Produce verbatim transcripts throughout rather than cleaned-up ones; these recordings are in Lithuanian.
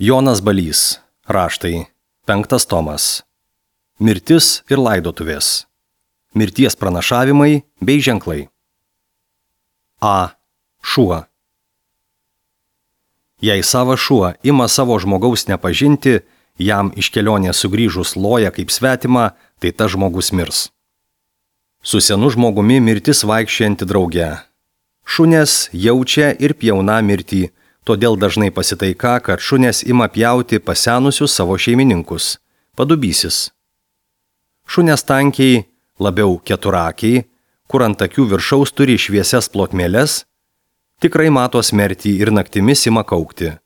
Jonas Balys. Raštai. Penktas tomas. Mirtis ir laidotuvės. Mirties pranašavimai bei ženklai. A. Šuo. Jei savo šuo ima savo žmogaus nepažinti, jam iš kelionės sugrįžus loja kaip svetima, tai tas žmogus mirs. Su senu žmogumi mirtis vaikščianti drauge. Šunės jaučia ir pjauna mirtį, todėl dažnai pasitaika, kad šunės ima pjauti pasenusius savo šeimininkus. Padubysis. Šunės tankiai, labiau keturakiai, kur ant akių viršaus turi šviesias plotmėles, tikrai mato smertį ir naktimis ima kaukti.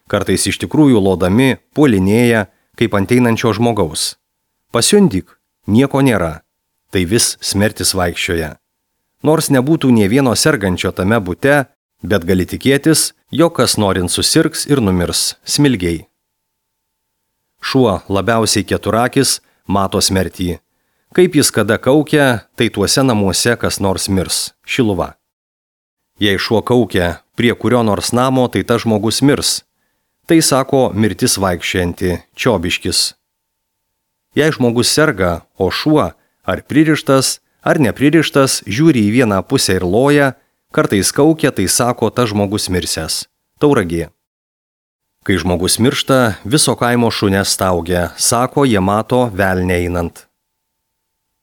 Kartais iš tikrųjų lodami puolinėja kaip ant einančio žmogaus. Pasiundyk, nieko nėra, tai vis smertis vaikščioja. Nors nebūtų nė vieno sergančio tame bute, bet gali tikėtis, jog kas norint susirgs ir numirs smilgiai. Šuo labiausiai keturakis mato smertį. Kaip jis kada kaukia, tai tuose namuose kas nors mirs. Šiluva. Jei šuo kaukia prie kurio nors namo, tai tas žmogus mirs. Tai sako mirtis vaikščianti, čiobiškis. Jei žmogus serga, o šuo, ar pririštas, ar nepririštas, žiūri į vieną pusę ir loja, kartais kaukia, tai sako tas žmogus mirsęs. Tauragė. Kai žmogus miršta, viso kaimo šunės staugia, sako, jie mato velnią einant.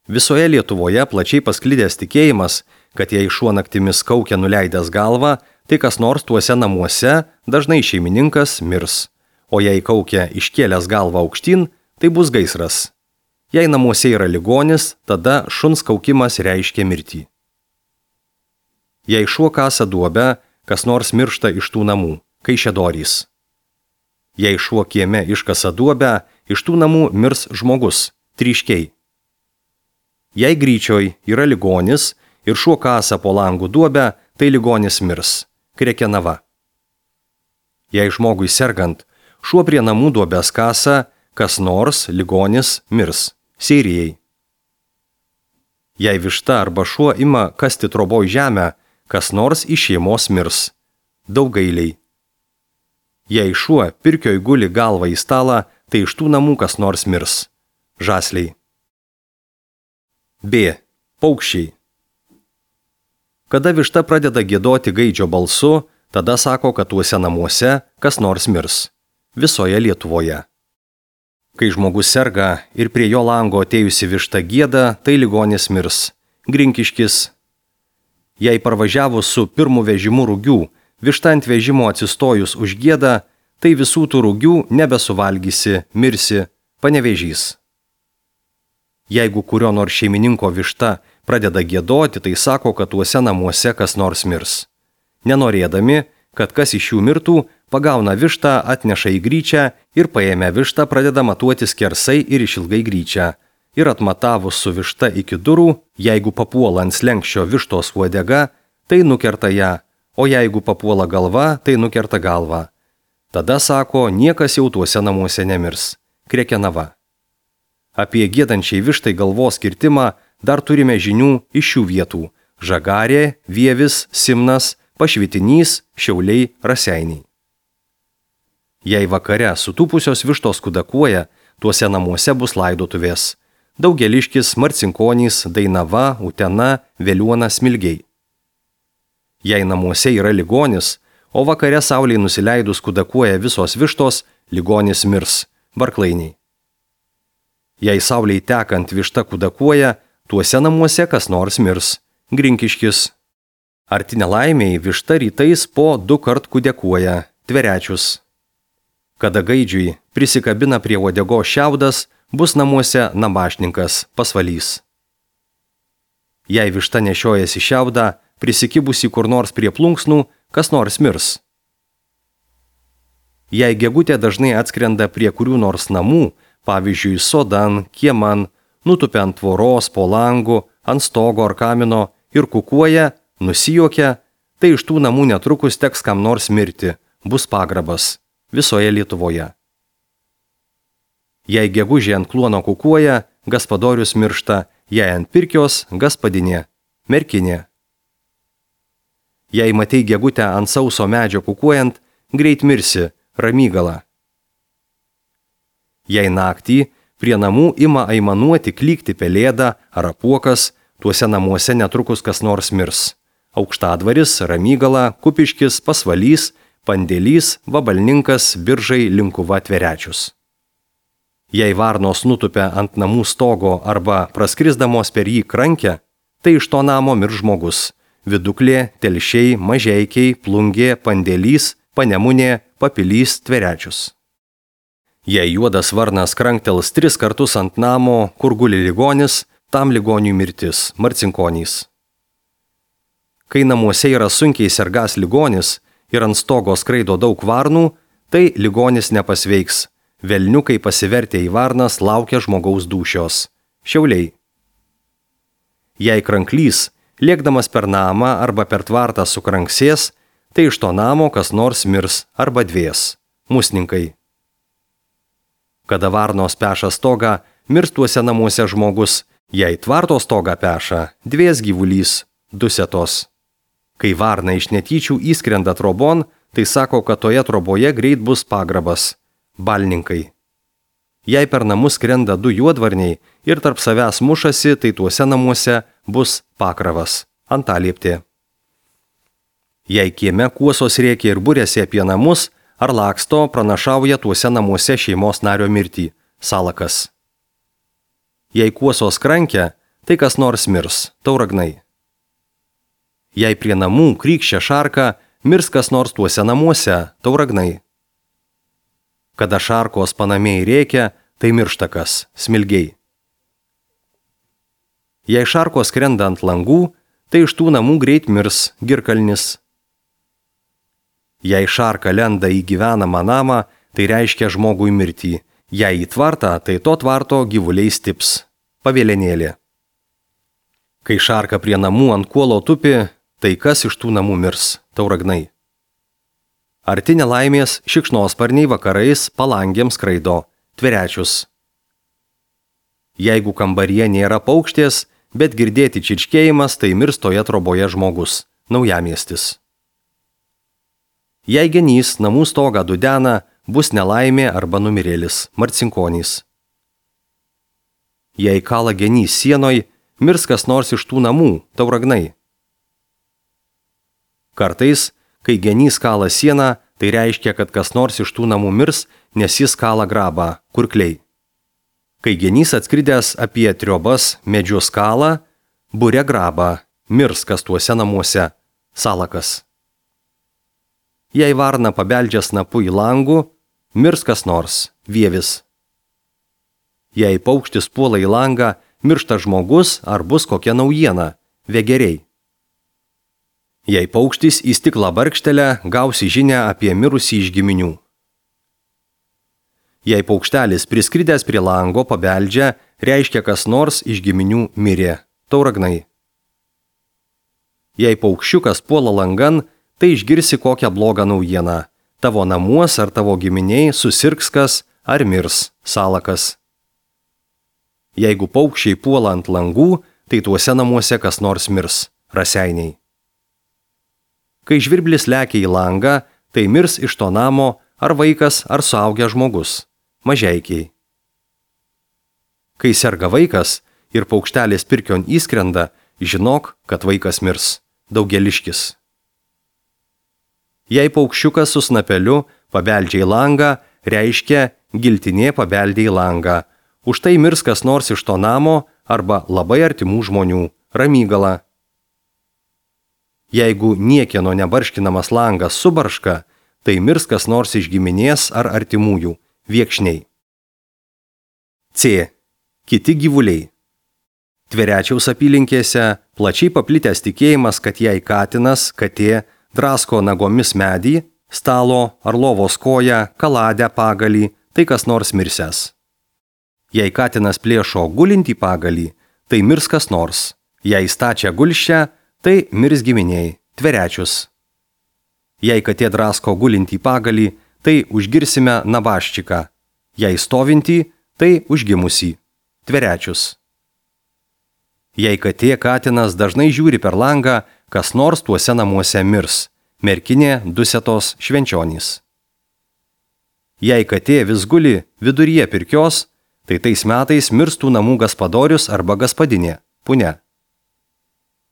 Visoje Lietuvoje plačiai pasklidęs tikėjimas, kad jei šuo naktimis kaukia nuleidęs galvą, tai kas nors tuose namuose, dažnai šeimininkas, mirs. O jei kaukia iškėlęs galvą aukštyn, tai bus gaisras. Jei namuose yra ligonis, tada šuns kaukimas reiškia mirtį. Jei šuo kasa duobę, kas nors miršta iš tų namų, kaišiadorys. Jei šuo kieme iškasa duobę, iš tų namų mirs žmogus, tryškiai. Jei gryčioj yra ligonis ir šuo kasa po langų duobę, tai ligonis mirs, krekenava. Jei žmogui sergant, šuo prie namų duobės kasa, kas nors ligonis mirs, seirijai. Jei višta arba šuo ima kasti troboj žemę, kas nors iš šeimos mirs, daugailiai. Jei šuo pirkioj guli galvą į stalą, tai iš tų namų kas nors mirs, žasliai. B. Paukščiai. Kada višta pradeda giedoti gaidžio balsu, tada sako, kad tuose namuose kas nors mirs, visoje Lietuvoje. Kai žmogus serga ir prie jo lango atėjusi višta gieda, tai ligonis mirs, grinkiškis. Jei parvažiavus su pirmu vežimu rugių, višta ant vežimo atsistojus užgieda, tai visų tų rugių nebesuvalgysi, mirsi, panevėžys. Jeigu kurio nors šeimininko višta pradeda giedoti, tai sako, kad tuose namuose kas nors mirs. Nenorėdami, kad kas iš jų mirtų, pagauna vištą, atneša į gryčią ir paėmę vištą pradeda matuoti skersai ir išilgai gryčią. Ir atmatavus su višta iki durų, jeigu papuola ant slenkščio vištos uodega, tai nukerta ją, o jeigu papuola galva, tai nukerta galvą. Tada sako, niekas jau tuose namuose nemirs. Krekenava. Apie giedančiai vištai galvos kirtimą dar turime žinių iš šių vietų – Žagarė, Vievis, Simnas, Pašvitinys, Šiauliai, Raseiniai. Jei vakare sutūpusios vištos kudakuoja, tuose namuose bus laidotuvės – Daugeliškis, Marcinkonys, Dainava, Utena, Veliuona, Smilgiai. Jei namuose yra ligonis, o vakare saulei nusileidus kudakuoja visos vištos, ligonis mirs – Barklainiai. Jei saulei tekant višta kudakuoja, tuose namuose kas nors mirs – Grinkiškis. Arti nelaimiai višta rytais po du kart kudekuoja – Tverečius. Kada gaidžiui prisikabina prie uodegos šiaudas, bus namuose nabašninkas – Pasvalys. Jei višta nešiojasi šiaudą, prisikibusi kur nors prie plunksnų, kas nors mirs. Jei gegutė dažnai atskrenda prie kurių nors namų, pavyzdžiui, sodan, kieman, nutupia ant tvoros, po langu, ant stogo ar kamino ir kukuoja, nusijuokia, tai iš tų namų netrukus teks kam nors mirti, bus pagrabas, visoje Lietuvoje. Jei gegužė ant kluono kukuoja, gaspadorius miršta, jei ant pirkios, gaspadinė, merkinė. Jei matei gegutę ant sauso medžio kukuojant, greit mirsi, ramygala. Jei naktį prie namų ima aimanuoti, klykti pelėda ar apuokas, tuose namuose netrukus kas nors mirs. Aukštadvaris, Ramygala, Kupiškis, Pasvalys, Pandėlys, Vabalninkas, Biržai, Linkuva, Tverečius. Jei varnos nutupia ant namų stogo arba praskrisdamos per jį krankę, tai iš to namo mirs žmogus. Viduklė, Telšiai, Mažeikiai, Plungė, Pandėlys, Panemunė, Papilys, Tverečius. Jei juodas varnas kranktels tris kartus ant namo, kur guli ligonis, tam ligoniui mirtis, Marcinkonys. Kai namuose yra sunkiai sergas ligonis ir ant stogo skraido daug varnų, tai ligonis nepasveiks. Velniukai pasivertę į varnas laukia žmogaus dūšios. Šiauliai. Jei kranklys, lėkdamas per namą arba per tvartą sukranksės, tai iš to namo kas nors mirs arba dvės. Musninkai. Kada varnos peša stogą, mirs tuose namuose žmogus. Jei tvarto stogą peša, dvės gyvulys, dusetos. Kai varna iš netyčių įskrenda trobon, tai sako, kad toje troboje greit bus pagrabas. Balninkai. Jei per namus skrenda du juodvarniai ir tarp savęs mušasi, tai tuose namuose bus pakravas. Antalieptė. Jei kieme kuosos rėkia ir būrėsi apie namus, ar laksto, pranašauja tuose namuose šeimos nario mirtį. Salakas. Jei kuosos krankia, tai kas nors mirs. Tauragnai. Jei prie namų krykščia šarka, mirs kas nors tuose namuose. Tauragnai. Kada šarkos panamiai rėkia, tai miršta kas. Smilgiai. Jei šarkos skrenda ant langų, tai iš tų namų greit mirs. Girkalnis. Jei šarka lenda į gyvenamą namą, tai reiškia žmogui mirtį. Jei į tvartą, tai to tvarto gyvuliai stips. Pavėlenėlė. Kai šarka prie namų ant kuolo tupi, tai kas iš tų namų mirs? Tauragnai. Arti nelaimės šikšnosparniai vakarais palangėms skraido. Tverečius. Jeigu kambaryje nėra paukštės, bet girdėti čirškėjimas, tai mirs toje troboje žmogus. Naujamiestis. Jei genys namų stogą dudena, bus nelaimė arba numirėlis. Marcinkonys. Jei kala genys sienoj, mirs kas nors iš tų namų. Tauragnai. Kartais, kai genys kala sieną, tai reiškia, kad kas nors iš tų namų mirs, nes jis kala grabą. Kurkliai. Kai genys atskridęs apie triobas medžius kala, būre grabą, mirs kas tuose namuose. Salakas. Jei varna pabeldžia snapu į langų, mirs kas nors. Vievis. Jei paukštis puola į langą, miršta žmogus ar bus kokia naujiena. Vėgeriai. Jei paukštis į stiklą barkštelę, gausi žinią apie mirusį iš giminių. Jei paukštelis priskridęs prie lango pabeldžia, reiškia kas nors iš giminių mirė. Tauragnai. Jei paukščiukas puola langan, tai išgirsi kokią blogą naujieną. Tavo namuos ar tavo giminiai susirgs kas ar mirs. Salakas. Jeigu paukščiai puola ant langų, tai tuose namuose kas nors mirs. Raseiniai. Kai žvirblis lekia į langą, tai mirs iš to namo ar vaikas ar suaugęs žmogus. Mažeikiai. Kai serga vaikas ir paukštelis pirkion įskrenda, žinok, kad vaikas mirs. Daugeliškis. Jei paukščiukas su snapeliu pabeldžia į langą, reiškia giltinė pabeldė į langą. Už tai mirs kas nors iš to namo arba labai artimų žmonių. Ramygala. Jeigu niekieno nebarškinamas langas subarška, tai mirs kas nors iš giminės ar artimųjų. Viekšniai. C. Kiti gyvuliai. Tverečiaus apylinkėse plačiai paplitęs tikėjimas, kad jei katinas, katė, drasko nagomis medį, stalo ar lovos koją, kaladę pagalį, tai kas nors mirsęs. Jei katinas plėšo gulintį pagalį, tai mirs kas nors. Jei stačia gulščią, tai mirs giminiai. Tverečius. Jei katė drasko gulintį pagalį, tai užgirsime nabaščiką. Jei stovintį, tai užgimusį. Tverečius. Jei katė katinas dažnai žiūri per langą, kas nors tuose namuose mirs. Merkinė, Dusetos, Švenčionys. Jei katė vis guli viduryje pirkios, tai tais metais mirstų namų gaspadorius arba gaspadinė, punia.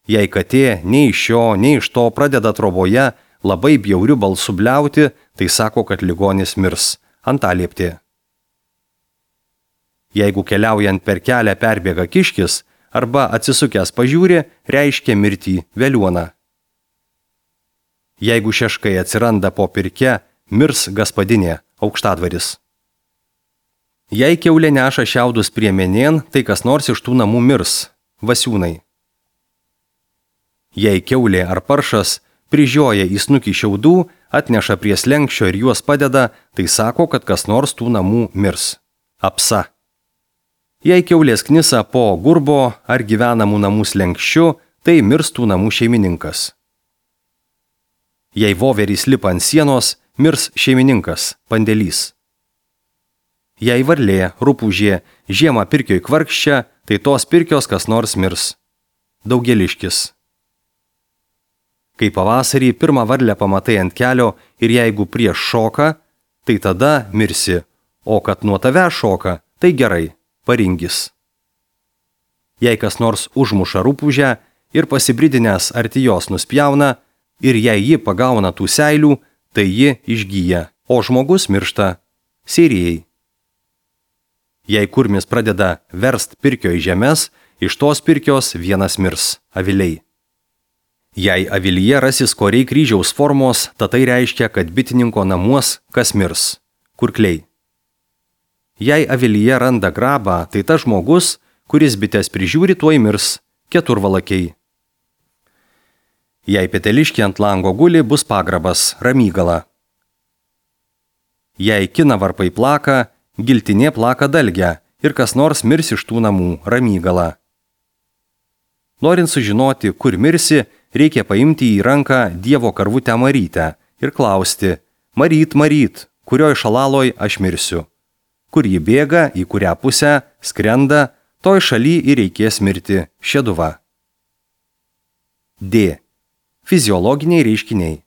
Jei katė nei iš šio, nei iš to pradeda troboje labai bjauriu balsu bliauti, tai sako, kad ligonis mirs, antalieptė. Jeigu keliaujant per kelią perbėga kiškis arba atsisukęs pažiūri, reiškia mirtį veliuoną. Jeigu šeškai atsiranda po pirke, mirs gaspadinė, aukštadvaris. Jei kiaulė neša šiaudus priemenėn, tai kas nors iš tų namų mirs, vasiūnai. Jei kiaulė ar paršas prižioja į snukį šiaudų, atneša prie slenkščio ir juos padeda, tai sako, kad kas nors tų namų mirs, apsa. Jei kiaulės knisa po gurbo ar gyvenamų namų slenkščiu, tai mirs tų namų šeimininkas. Jei voverys lipa ant sienos, mirs šeimininkas, pandėlys. Jei varlė, rupūžė, žiemą pirkioj kvarkščia, tai tos pirkios kas nors mirs, daugeliškis. Kai pavasarį pirmą varlę pamatai ant kelio ir jeigu prieš šoka, tai tada mirsi, o kad nuo tave šoka, tai gerai, paringis. Jei kas nors užmuša rupūžę ir pasibridinęs arti jos nuspjauna, ir jei ji pagauna tų seilių, tai ji išgyja, o žmogus miršta, sėrijai. Jei kurmis pradeda verst pirkio į žemes, iš tos pirkios vienas mirs, aviliai. Jei avilyje rasis koriai kryžiaus formos, ta tai reiškia, kad bitininko namuos kas mirs, kurkliai. Jei avilyje randa grabą, tai tas žmogus, kuris bites prižiūri, tuoj mirs, keturvalakiai. Jei peteliškė ant lango guli, bus pagrabas, ramygala. Jei kinavarpai plaka, giltinė plaka dalgę ir kas nors mirs iš tų namų, ramygala. Norint sužinoti, kur mirsi, reikia paimti į ranką Dievo karvutę Marytę ir klausti, Maryt, Maryt, kurioj šalaloj aš mirsiu. Kur ji bėga, į kurią pusę, skrenda, toj šaly ir reikės mirti, šeduva. D. Fiziologiniai reiškiniai.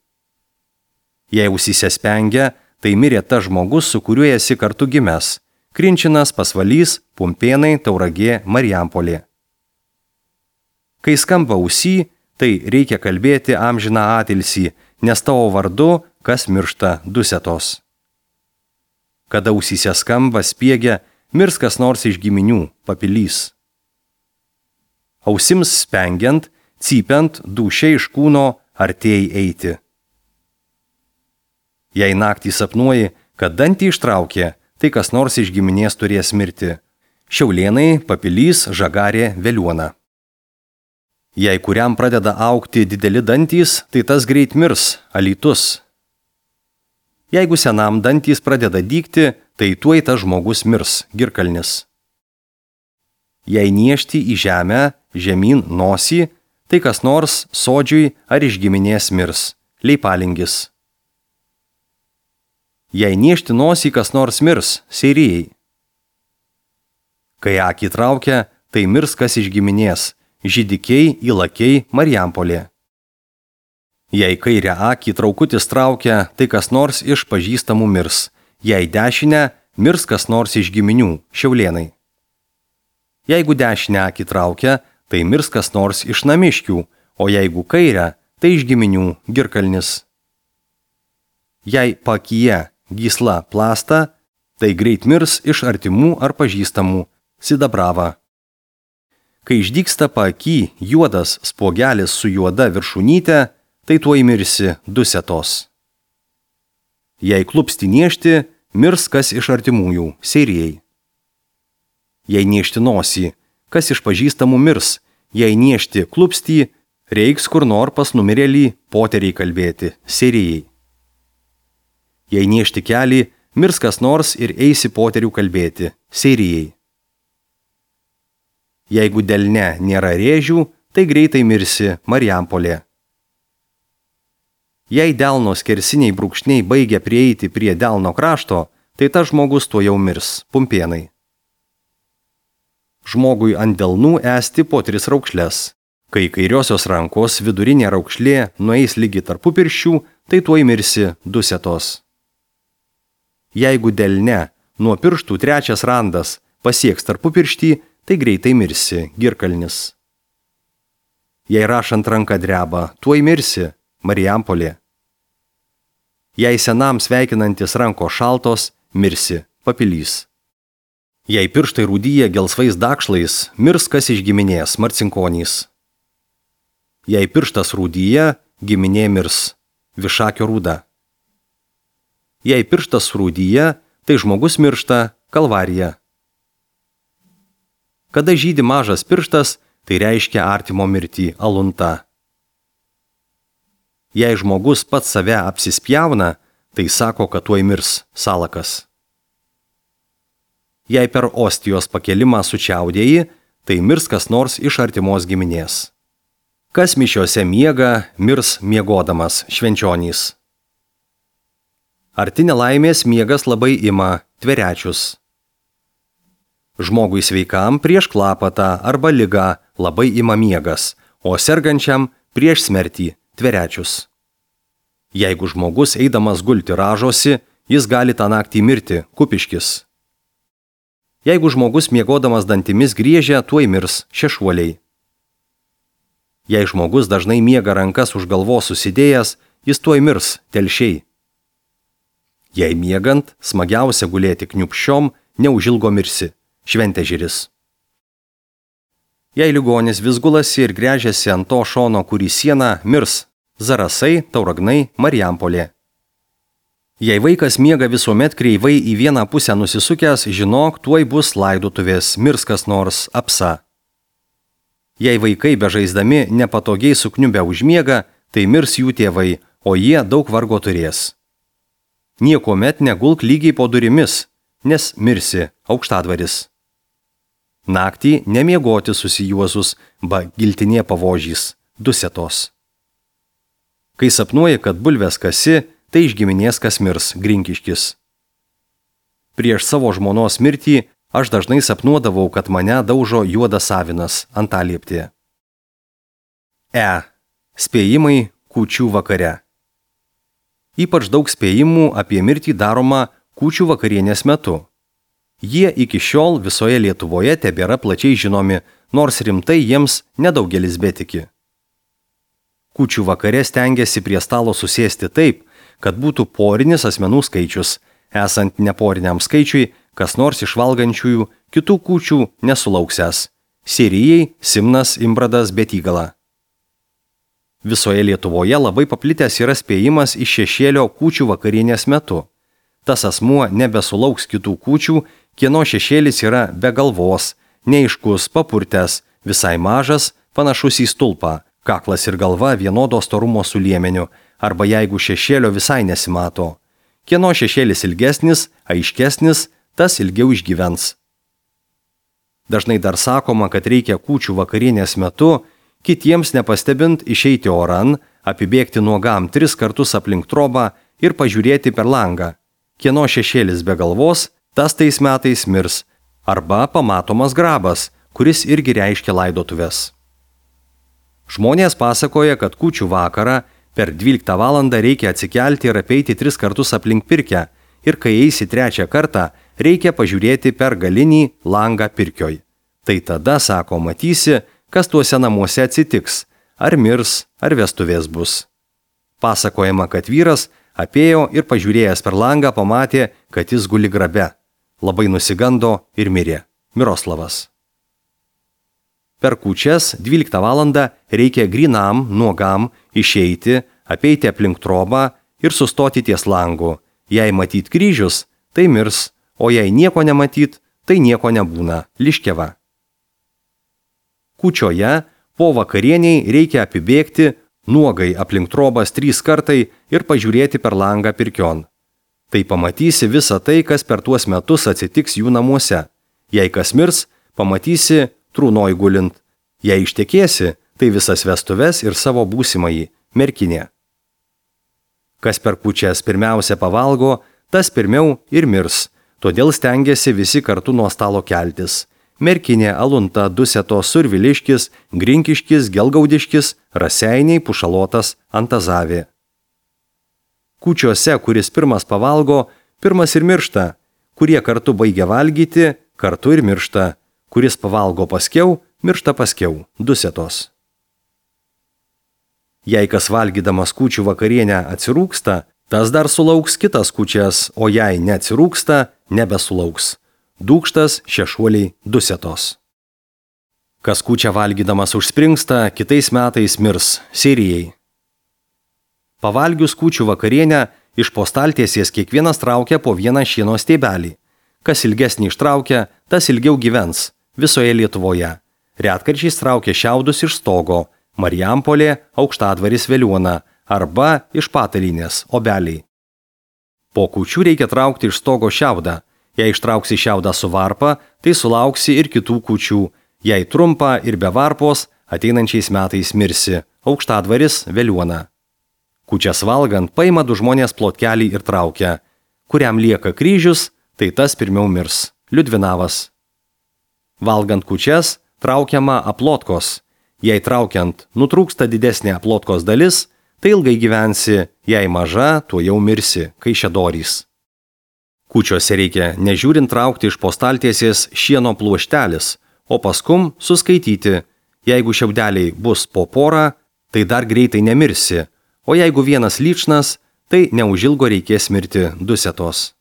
Jei ausyse spengia, tai mirė tas žmogus, su kuriuo esi kartu gimęs, Krinčinas, Pasvalys, Pumpėnai, Tauragė, Marijampolė. Kai skamba ausy, tai reikia kalbėti amžiną atilsį, nes tavo vardu, kas miršta dusetos. Kada ausyse skamba, spiegia, mirs kas nors iš giminių, papilys. Ausims spengiant, cypiant, dūšia iš kūno artėjai eiti. Jei naktį sapnuoji, kad dantį ištraukė, tai kas nors iš giminės turės mirti. Šiaulėnai, papilys, žagarė, veliuona. Jei kuriam pradeda augti dideli dantys, tai tas greit mirs, alytus. Jeigu senam dantys pradeda dygti, tai tuoj tas žmogus mirs, girkalnis. Jei niešti į žemę, žemyn nosį, tai kas nors sodžiui ar iš giminės mirs, leipalingis. Jei niešti nosį kas nors mirs, seirijai. Kai akį traukia, tai mirs kas iš giminės, žydikiai, įlakiai, Marijampolė. Jei kairę akį traukutis traukia, tai kas nors iš pažįstamų mirs, jei dešinę, mirs kas nors iš giminių, šiaulėnai. Jeigu dešinę akį traukia, tai mirs kas nors iš namiškių, o jeigu kairę, tai iš giminių, girkalnis. Jei pakyje gysla plasta, tai greit mirs iš artimų ar pažįstamų, sidabrava. Kai išdygsta paaky juodas spogelis su juoda viršūnyte, tai tuoj mirsi dusetos. Jei klupsti niešti, mirs kas iš artimųjų, seirijai. Jei niešti nosį, kas iš pažįstamų mirs, jei niešti klupstį, reiks kur nor pas numirėlį poteriai kalbėti, seirijai. Jei niešti kelį, mirs kas nors ir eisi poterių kalbėti, seirijai. Jeigu delne nėra rėžių, tai greitai mirsi, Marijampolė. Jei delno skersiniai brūkšniai baigia prieiti prie delno krašto, tai tas žmogus tuo jau mirs, Pumpėnai. Žmogui ant delnų esti po tris raukšles. Kai kairiosios rankos vidurinė raukšlė nueis lygi tarpupirščių, tai tuoj mirsi, dusetos. Jeigu delne nuo pirštų trečias randas pasieks tarpupirštį, tai greitai mirsi, Girkalnis. Jei rašant ranką dreba, tuoj mirsi, Marijampolė. Jei senam sveikinantis ranko šaltos, mirsi, Papilys. Jei pirštai rūdyja gelsvais dakšlais, mirs kas iš giminės, Marcinkonys. Jei pirštas rūdyja, giminė mirs, Višakio Rūda. Jei pirštas rūdyja, tai žmogus miršta, Kalvarija. Kada žydi mažas pirštas, tai reiškia artimo mirtį, Alunta. Jei žmogus pats save apsispjauna, tai sako, kad tuoj mirs, Salakas. Jei per ostijos pakelimą sučiaudėjai, tai mirs kas nors iš artimos giminės. Kas mišiose miega, mirs miegodamas, Švenčionys. Arti nelaimės miegas labai ima, Tverečius. Žmogui sveikam prieš klapatą arba ligą labai ima miegas, o sergančiam prieš smertį, Tverečius. Jeigu žmogus eidamas gulti ražosi, jis gali tą naktį mirti, Kupiškis. Jeigu žmogus miegodamas dantimis griežia, tuoj mirs, Šešuoliai. Jei žmogus dažnai miega rankas už galvos susidėjęs, jis tuoj mirs, Telšiai. Jei miegant, smagiausia gulėti kniupščiom, neužilgo mirsi, Šventežiris. Jei ligonis vis gulasi ir gręžiasi ant to šono, kurį sieną, mirs, Zarasai, Tauragnai, Marijampolė. Jei vaikas miega visuomet kreivai į vieną pusę nusisukęs, žinok, tuoj bus laidotuvės, mirs kas nors, Apsa. Jei vaikai bežaisdami nepatogiai sukniubę užmiega, tai mirs jų tėvai, o jie daug vargo turės. Niekuomet negulk lygiai po durimis, nes mirsi, Aukštadvaris. Naktį nemiegoti susijuozus, ba giltinė pavožys, Dusetos. Kai sapnuoji, kad bulves kasi, tai iš giminės kas mirs, Grinkiškis. Prieš savo žmonos mirtį aš dažnai sapnuodavau, kad mane daužo juodas avinas, Antalieptė. E. Spėjimai kūčių vakare. Ypač daug spėjimų apie mirtį daroma kūčių vakarienės metu. Jie iki šiol visoje Lietuvoje tebėra plačiai žinomi, nors rimtai jiems nedaugelis betiki. Kūčių vakare stengiasi prie stalo susėsti taip, kad būtų porinis asmenų skaičius, esant neporiniam skaičiui, kas nors iš valgančiųjų kitų kūčių nesulauksęs – Sirijai, Simnas, Imbradas, Betygala. Visoje Lietuvoje labai paplitęs yra spėjimas iš šešėlio kūčių vakarienės metu. Tas asmuo nebesulauks kitų kūčių, kieno šešėlis yra be galvos, neaiškus, papurtęs, visai mažas, panašus į stulpą, kaklas ir galva vienodo storumo su liemeniu, arba jeigu šešėlio visai nesimato. Kieno šešėlis ilgesnis, aiškesnis, tas ilgiau išgyvens. Dažnai dar sakoma, kad reikia kūčių vakarienės metu, kitiems nepastebint išeiti oran, apibėgti nuogam tris kartus aplink trobą ir pažiūrėti per langą. Kieno šešėlis be galvos, tas tais metais mirs, arba pamatomas grabas, kuris irgi reiškia laidotuves. Žmonės pasakoja, kad kūčių vakarą per dvyliktą valandą reikia atsikelti ir apeiti tris kartus aplink pirkią, ir kai eisi trečią kartą, reikia pažiūrėti per galinį langą pirkioj. Tai tada, sako, matysi, kas tuose namuose atsitiks, ar mirs, ar vestuvės bus. Pasakojama, kad vyras apėjo ir pažiūrėjęs per langą pamatė, kad jis guli grabe. Labai nusigando ir mirė. Miroslavas. Per kūčias dvyliktą valandą reikia grynam, nuogam, išeiti, apeiti aplink trobą ir sustoti ties langu. Jei matyt kryžius, tai mirs, o jei nieko nematyt, tai nieko nebūna. Liškeva. Kūčioje po vakarieniai reikia apibėgti nuogai aplink trobas trys kartai ir pažiūrėti per langą pirkion. Tai pamatysi visą tai, kas per tuos metus atsitiks jų namuose. Jei kas mirs, pamatysi trūnoj gulint. Jei ištekėsi, tai visas vestuves ir savo būsimąjį, merkinė. Kas per kūčias pirmiausia pavalgo, tas pirmiau ir mirs, todėl stengiasi visi kartu nuo stalo keltis. Merkinė, Alunta, Dusetos, Surviliškis, Grinkiškis, Gelgaudiškis, Raseiniai, Pušalotas, Antazavė. Kūčiose, kuris pirmas pavalgo, Pirmas ir miršta, kurie kartu baigia valgyti, kartu ir miršta, kuris pavalgo paskiau, miršta paskiau, dusetos. Jei kas valgydamas kūčių vakarienę atsirūksta, tas dar sulauks kitas kūčias, o jei neatsirūksta, nebesulauks. Dūkštas, šešuoliai, dusetos. Kas kūčią valgydamas užspringsta, kitais metais mirs, sirijai. Pavalgius kūčių vakarienę, iš po staltiesės kiekvienas traukia po vieną šieno stiebelį. Kas ilgesnį ištraukia, tas ilgiau gyvens, visoje Lietuvoje. Retkarčiais traukia šiaudus iš stogo, Marijampolė, Aukštadvaris Veliuona arba iš Patalinės, Obeliai. Po kūčių reikia traukti iš stogo šiaudą. Jei ištrauksi šiaudą su varpa, tai sulauksi ir kitų kūčių. Jei trumpa ir be varpos, ateinančiais metais mirsi, Aukštadvaris Veliuona. Kūčias valgant paima du žmonės plotkelį ir traukia. Kuriam lieka kryžius, tai tas pirmiau mirs, Liudvinavas. Valgant kūčias, traukiama aplotkos. Jei traukiant nutrūksta didesnė aplotkos dalis, tai ilgai gyvensi, jei maža, tuo jau mirsi, Kaišiadorys. Kūčiose reikia nežiūrint traukti iš po staltiesės šieno pluoštelis, o paskum suskaityti. Jeigu šiaudeliai bus po porą, tai dar greitai nemirsi, o jeigu vienas lyčnas, tai neužilgo reikės mirti, dusetos.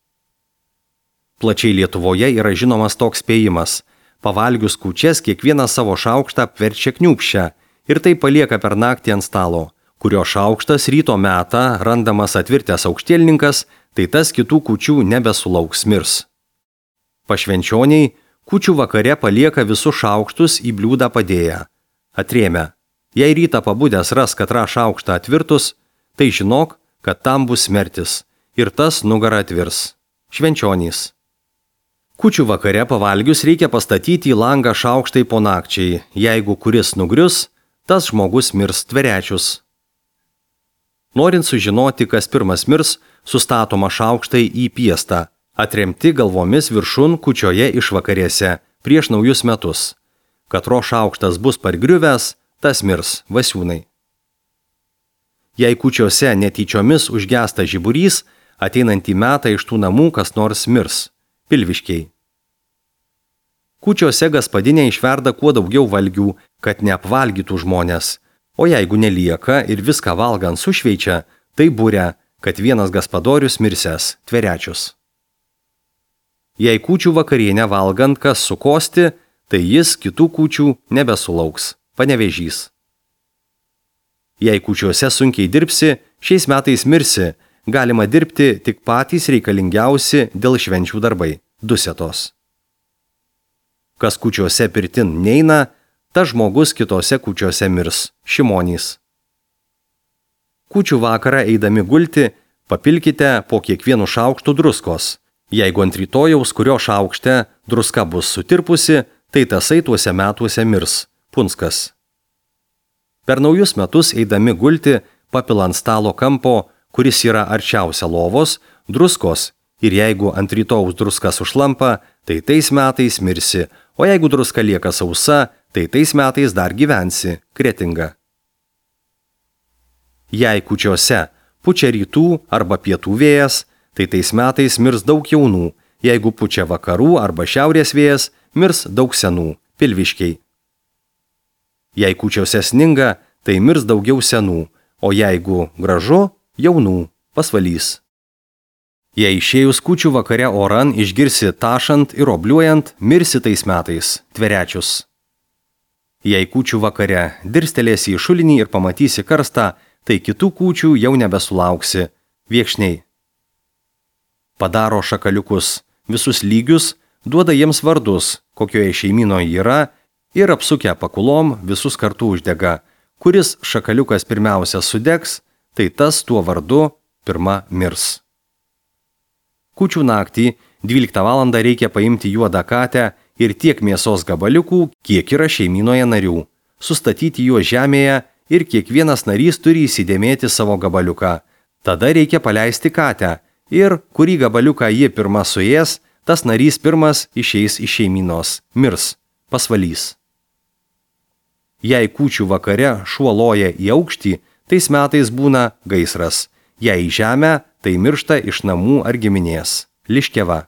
Plačiai Lietuvoje yra žinomas toks spėjimas. Pavalgius kūčias kiekvieną savo šaukštą apverčia kniūpščią ir tai palieka per naktį ant stalo, kurio šaukštas ryto metą randamas atvirtęs aukštielninkas, tai tas kitų kūčių nebesulauks, mirs. Pašvenčioniai kūčių vakare palieka visus šaukštus į bliūdą padėję. Atrėmę. Jei rytą pabudęs ras katrą šaukštą atvirtus, tai žinok, kad tam bus smertis ir tas nugarą atvirs. Švenčionys. Kūčių vakare pavalgius reikia pastatyti į langą šaukštai po nakčiai. Jeigu kuris nugrius, tas žmogus mirs, Tverečius. Norint sužinoti, kas pirmas mirs, sustatoma šaukštai į piestą, atremti galvomis viršun kūčioje išvakarėse, prieš naujus metus. Katro šaukštas bus pargriuvęs, tas mirs, Vasiūnai. Jei kūčiose netyčiomis užgesta žiburys, ateinantį metą iš tų namų kas nors mirs, Pilviškiai. Kūčiose gaspadinė išverda kuo daugiau valgių, kad neapvalgytų žmonės, o jeigu nelieka ir viską valgant sušveičia, tai būria, kad vienas gaspadorius mirsęs, Tverečius. Jei kūčių vakarienę valgant kas sukosti, tai jis kitų kūčių nebesulauks, Panevėžys. Jei kūčiuose sunkiai dirbsi, šiais metais mirsi, galima dirbti tik patys reikalingiausi dėl švenčių darbai, dusetos. Kas kūčiuose pirtin neina, tas žmogus kitose kūčiuose mirs, Šimonys. Kūčių vakarą eidami gulti, papilkite po kiekvienu šaukštu druskos. Jeigu ant rytojaus, kurio šaukšte druska bus sutirpusi, tai tasai tuose metuose mirs, Punskas. Per naujus metus eidami gulti, papilant stalo kampo, kuris yra arčiausia lovos, druskos, ir jeigu ant rytojaus druska sušlampa, tai tais metais mirsi, o jeigu druska lieka sausa, tai tais metais dar gyvensi, Kretinga. Jei kūčiose pučia rytų arba pietų vėjas, tai tais metais mirs daug jaunų, jeigu pučia vakarų arba šiaurės vėjas, mirs daug senų, Pilviškiai. Jei kūčiose sninga, tai mirs daugiau senų, o jeigu gražu, jaunų, Pasvalys. Jei išėjus kūčių vakare oran išgirsi tašant ir obliuojant, mirsi tais metais, Tverečius. Jei kūčių vakare dirstelėsi į šulinį ir pamatysi karstą, tai kitų kūčių jau nebesulauksi, Viekšniai. Padaro šakaliukus, visus lygius, duoda jiems vardus, kokioje šeimynoje yra, ir apsukę pakulom visus kartu uždega. Kuris šakaliukas pirmiausia sudegs, tai tas tuo vardu pirma mirs. Kūčių naktį dvyliktą valandą reikia paimti juodą katę ir tiek mėsos gabaliukų, kiek yra šeimynoje narių, sustatyti juos žemėje ir kiekvienas narys turi įsidėmėti savo gabaliuką. Tada reikia paleisti katę ir kurį gabaliuką ji pirma suės, tas narys pirmas išeis iš šeimynos, mirs, Pasvalys. Jei kūčių vakare šuo loja į aukštį, tais metais būna gaisras. Jei į žemę, tai miršta iš namų ar giminės. Liškeva.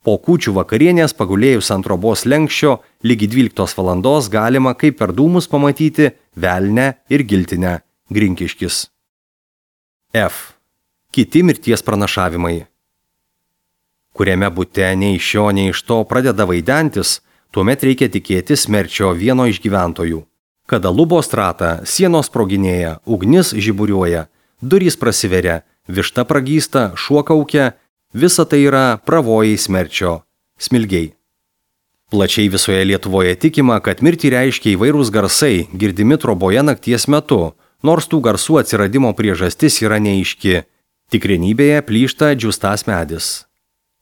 Po kūčių vakarienės pagulėjus ant trobos lenkščio lygi dvyliktos valandos galima kaip per dūmus pamatyti velnę ir giltinę. Grinkiškis. F. Kiti mirties pranašavimai. Kuriame bute nei iš šio, nei iš to pradeda vaidentis, tuomet reikia tikėtis mirčio vieno iš gyventojų. Kada lubos trata, sienos sproginėja, ugnis žiburiuoja, durys prasiveria, višta pragysta, šuo kaukia, visa tai yra pravojai smerčio, smilgiai. Plačiai visoje Lietuvoje tikima, kad mirtį reiškia įvairūs garsai, girdimi troboje nakties metu, nors tų garsų atsiradimo priežastis yra neaiški. Tikrenybėje plyšta džiūstas medis.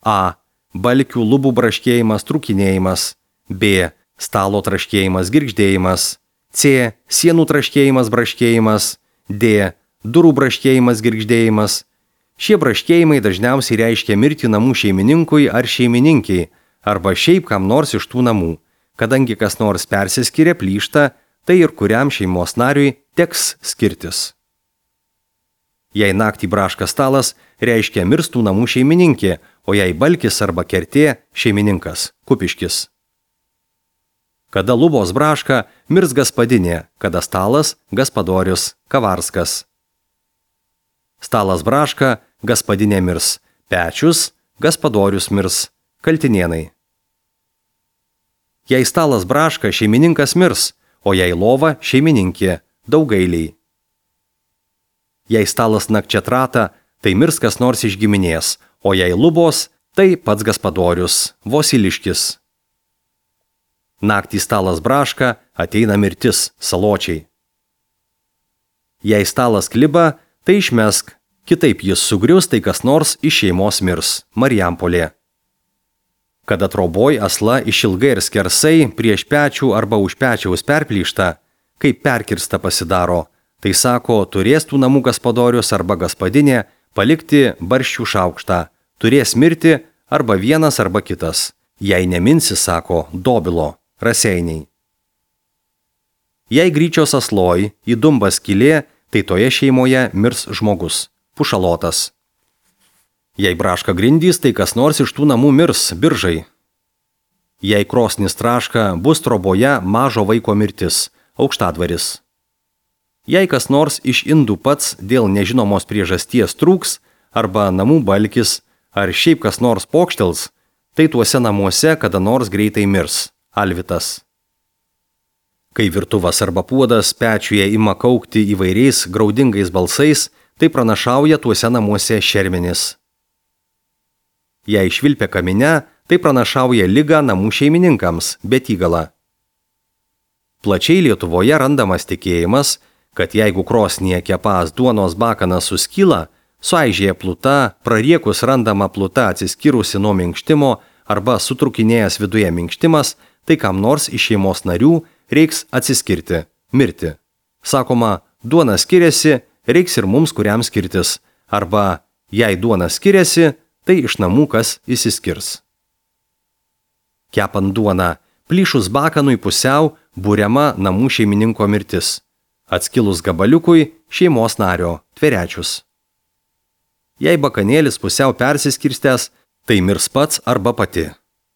A. Balkių lubų braškėjimas, trūkinėjimas. B. Stalo traškėjimas, girgždėjimas. C. Sienų traškėjimas, braškėjimas. D. Durų braškėjimas, girgždėjimas. Šie braškėjimai dažniausiai reiškia mirtį namų šeimininkui ar šeimininkiai, arba šiaip kam nors iš tų namų. Kadangi kas nors persiskiria, plyšta, tai ir kuriam šeimos nariui teks skirtis. Jei naktį braška stalas, reiškia mirstų namų šeimininkė, o jei balkis arba kertė šeimininkas, kupiškis. Kada lubos braška, mirs gaspadinė, kada stalas, gaspadorius, kavarskas. Stalas braška, gaspadinė mirs, pečius, gaspadorius mirs, kaltinėnai. Jei stalas braška, šeimininkas mirs, o jei lova šeimininkė, daugailiai. Jei stalas nakčia trata, tai mirs kas nors iš giminės, o jei lubos, tai pats gaspadorius, Vosiliškis. Naktį stalas braška, ateina mirtis, saločiai. Jei stalas kliba, tai išmesk, kitaip jis sugrius, tai kas nors iš šeimos mirs, Marijampolė. Kada troboj asla išilgai ir skersai prieš pečių arba už pečiaus perplyšta, kaip perkirsta pasidaro, tai sako, turės tų namų gaspadorius arba gaspadinė palikti barščių šaukštą, turės mirti arba vienas arba kitas, jei neminsi, sako, dobilo, raseiniai. Jei gryčios asloj, į dumbą skylė, tai toje šeimoje mirs žmogus, pušalotas. Jei braška grindys, tai kas nors iš tų namų mirs, biržai. Jei krosnis traška, bus troboje mažo vaiko mirtis, aukštadvaris. Jei kas nors iš indų pats dėl nežinomos priežasties trūks, arba namų balkis, ar šiaip kas nors pokštels, tai tuose namuose kada nors greitai mirs, alvitas. Kai virtuvas arba puodas pečiuje ima kaukti įvairiais graudingais balsais, tai pranašauja tuose namuose šermenis. Jei švilpia kamine, tai pranašauja ligą namų šeimininkams, betygala. Plačiai Lietuvoje randamas tikėjimas, kad jeigu krosnyje kepas duonos bakanas suskyla, suaižėja pluta, prariekus randama pluta atsiskyrusi nuo minkštimo arba sutrukinėjęs viduje minkštimas, tai kam nors iš šeimos narių reiks atsiskirti, mirti. Sakoma, duona skiriasi, reiks ir mums kuriam skirtis, arba jei duona skiriasi, tai iš namų kas išsiskirs. Kepant duoną, plyšus bakanui pusiau buriama namų šeimininko mirtis. Atskilus gabaliukui šeimos nario, tverečius. Jei bakanėlis pusiau persiskirstęs, tai mirs pats arba pati.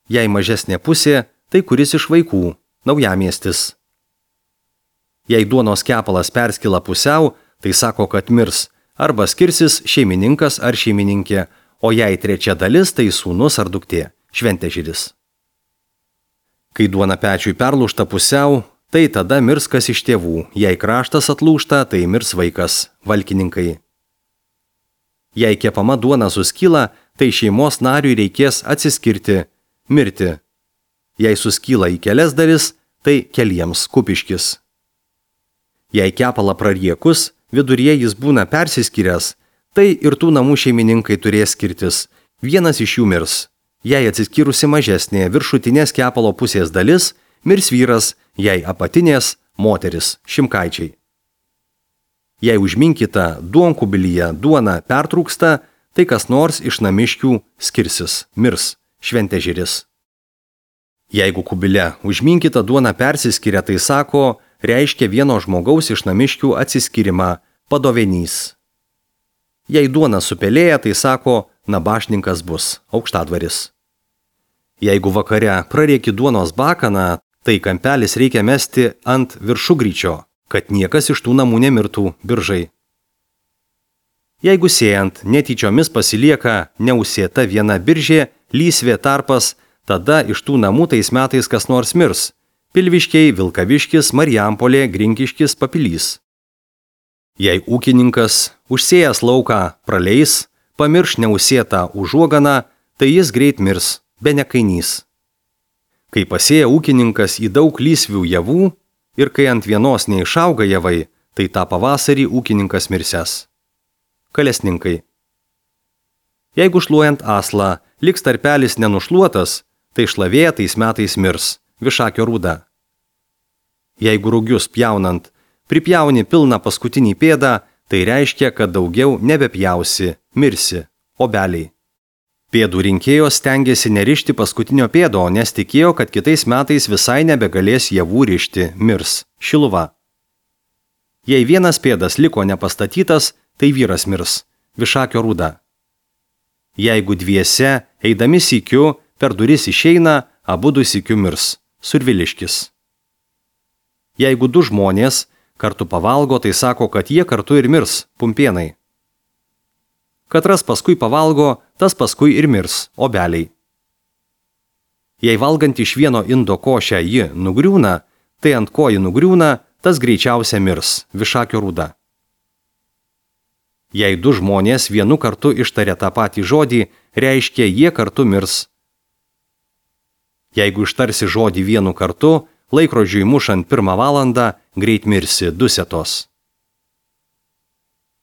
Jei mažesnė pusė, tai kuris iš vaikų, naujamiestis. Jei duonos kepalas perskila pusiau, tai sako, kad mirs arba skirsis šeimininkas ar šeimininkė, o jei trečia dalis, tai sūnus ar duktė, šventežiris. Kai duona pečiui perlūžta pusiau, tai tada mirs kas iš tėvų, jei kraštas atlūžta, tai mirs vaikas, valkininkai. Jei kepama duona suskyla, tai šeimos nariui reikės atsiskirti, mirti. Jei suskyla į kelias dalis, tai keliems, kupiškis. Jei kepalą prariekus, viduryje jis būna persiskyręs, tai ir tų namų šeimininkai turės skirtis, vienas iš jų mirs. Jei atsiskyrusi mažesnė viršutinės kepalo pusės dalis, mirs vyras, jei apatinės moteris, šimkaičiai. Jei užminkyta duonkubilyje duona pertrūksta, tai kas nors iš namiškių skirsis, mirs, šventežiris. Jeigu kubile užminkyta duona persiskiria, tai sako, reiškia vieno žmogaus iš namiškių atsiskyrimą, padovenys. Jei duona supelėja, tai sako, nabašninkas bus, aukštadvaris. Jeigu vakare prarėki duonos bakaną, tai kampelis reikia mesti ant viršugryčio, kad niekas iš tų namų nemirtų biržai. Jeigu sėjant netyčiomis pasilieka neusėta viena biržė, lysvė tarpas, tada iš tų namų tais metais kas nors mirs. Pilviškiai, Vilkaviškis, Marijampolė, Grinkiškis, Papilys. Jei ūkininkas užsėjęs lauką praleis, pamirš neusėtą užuoganą, tai jis greit mirs, be nekainys. Kai pasėja ūkininkas į daug lysvių javų ir kai ant vienos neišauga javai, tai tą pavasarį ūkininkas mirsęs. Kalesninkai. Jeigu šluojant aslą liks tarpelis nenušluotas, tai šlavėja tais metais mirs, višakio rūda. Jeigu rugius pjaunant pripjauni pilną paskutinį pėdą, tai reiškia, kad daugiau nebepjausi, mirsi, obeliai. Pėdų rinkėjos stengiasi nerišti paskutinio pėdo, nes tikėjo, kad kitais metais visai nebegalės javų rišti, mirs, šiluva. Jei vienas pėdas liko nepastatytas, tai vyras mirs, višakio rūda. Jeigu dviese, eidami sykiu, per duris išeina, abudu sykiu mirs, surviliškis. Jeigu du žmonės kartu pavalgo, tai sako, kad jie kartu ir mirs, pumpienai. Katras paskui pavalgo, tas paskui ir mirs, obeliai. Jei valgant iš vieno indo košę ji nugriūna, tai ant ko ji nugriūna, tas greičiausia mirs, višakio rūda. Jei du žmonės vienu kartu ištaria tą patį žodį, reiškia jie kartu mirs. Jeigu ištarsi žodį vienu kartu, laikrodžiui mušant pirmą valandą, greit mirsi, dusetos.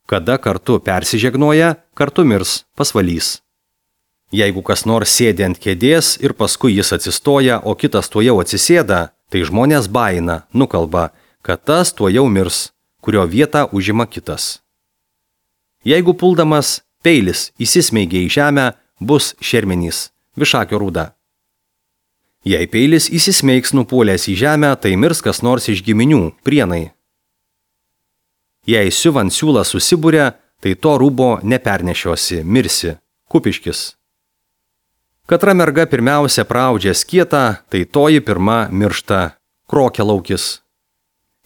Kada kartu persižegnoja, kartu mirs, pasvalys. Jeigu kas nors sėdi ant kėdės ir paskui jis atsistoja, o kitas tuojau atsisėda, tai žmonės baina, nukalba, kad tas tuojau mirs, kurio vietą užima kitas. Jeigu puldamas peilis įsismeigia į žemę, bus šermenys, višakio rūda. Jei peilis įsismeigs nupuolęs į žemę, tai mirs kas nors iš giminių, prienai. Jei siuvant siūlą susibūrė, tai to rūbo nepernešiosi, mirsi, kupiškis. Katra merga pirmiausia praudžia skietą, tai toji pirma miršta, krokialaukis.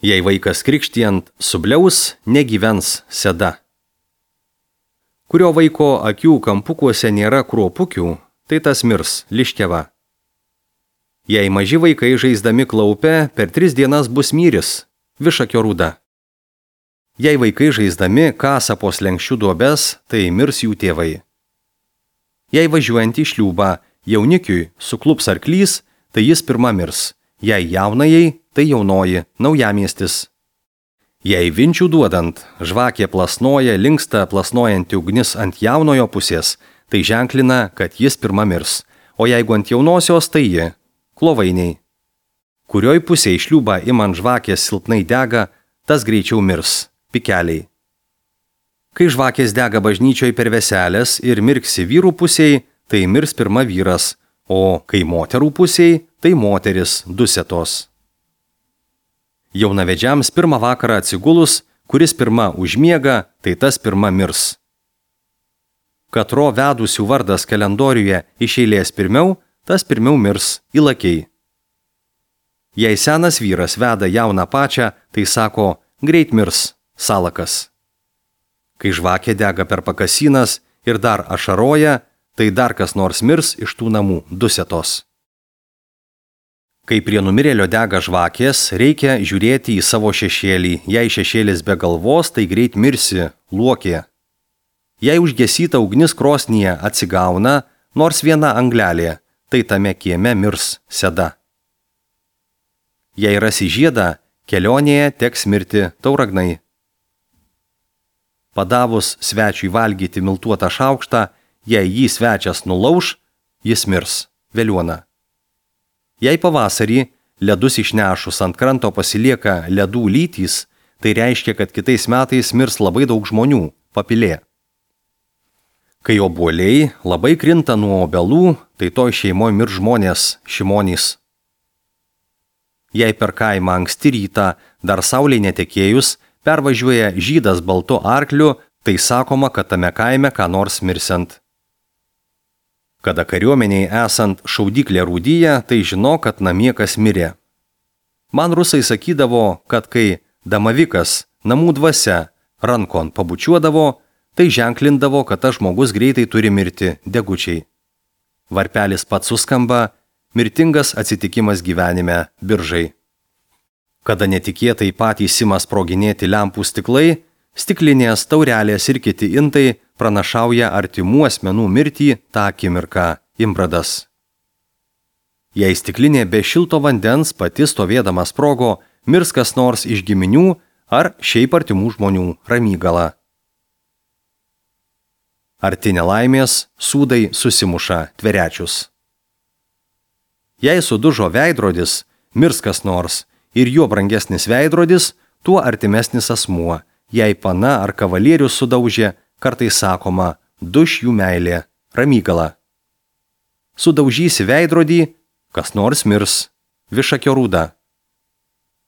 Jei vaikas krikštijant subliaus, negyvens seda. Kurio vaiko akių kampukuose nėra kruopukių, tai tas mirs, liškeva. Jei maži vaikai žaisdami klaupę, per tris dienas bus myris, višakio rūda. Jei vaikai žaisdami kasa po slenkščių duobes, tai mirs jų tėvai. Jei važiuojant į šliūbą jaunikiui suklups arklys, tai jis pirma mirs. Jei jaunajai, tai jaunoji, naujamiestis. Jei vinčių duodant, žvakė plasnoja, linksta plasnojanti ugnis ant jaunojo pusės, tai ženklina, kad jis pirma mirs. O jeigu ant jaunosios, tai ji. Klovainiai. Kurioj pusėje šliūbą imant žvakės silpnai dega, tas greičiau mirs, pikeliai. Kai žvakės dega bažnyčioj per veselės ir mirksi vyrų pusėje, tai mirs pirma vyras, o kai moterų pusėje, tai moteris, dusetos. Jaunavedžiams pirmą vakarą atsigulus, kuris pirma užmiega, tai tas pirma mirs. Katro vedusių vardas kalendoriuje iš eilės pirmiau, tas pirmiau mirs, įlakiai. Jei senas vyras veda jauną pačią, tai sako, greit mirs, salakas. Kai žvakė dega per pakasinas ir dar ašaroja, tai dar kas nors mirs iš tų namų, dusetos. Kai prie numirėlio dega žvakės, reikia žiūrėti į savo šešėlį. Jei šešėlis be galvos, tai greit mirsi, luokė. Jei užgesyta ugnis krosnyje atsigauna, nors viena anglelė, tai tame kieme mirs seda. Jei rasi žiedą, kelionėje teks mirti tauragnai. Padavus svečiui valgyti miltuotą šaukštą, jei jį svečias nulauš, jis mirs, veliuona. Jei pavasarį ledus išnešus ant kranto pasilieka ledų lytys, tai reiškia, kad kitais metais mirs labai daug žmonių, papilė. Kai obuoliai labai krinta nuo obelų, tai toj šeimoje mirs žmonės, šimonys. Jei per kaimą anksti rytą, dar saulei netekėjus, pervažiuoja žydas baltu arkliu, tai sakoma, kad tame kaime ką nors mirsiant. Kada kariuomeniai esant šaudyklė rūdyje, tai žino, kad namie kas mirė. Man rusai sakydavo, kad kai damavikas, namų dvasia, rankon pabučiuodavo, tai ženklindavo, kad tas žmogus greitai turi mirti degučiai. Varpelis pats suskamba, mirtingas atsitikimas gyvenime biržai. Kada netikėtai patys ima sproginėti lempų stiklai, stiklinės, taurelės ir kiti intai pranašauja artimų asmenų mirtį tą akimirką imbradas. Jei stiklinė be šilto vandens pati stovėdama sprogo, mirs kas nors iš giminių ar šiaip artimų žmonių ramygala. Arti nelaimės sūdai susimuša tverečius. Jei sudužo veidrodis, mirs kas nors ir juo brangesnis veidrodis, tuo artimesnis asmuo. Jei pana ar kavalierius sudaužė, kartais sakoma, duš jų meilė, ramygala. Sudaužysi veidrodį, kas nors mirs, višakio rūda.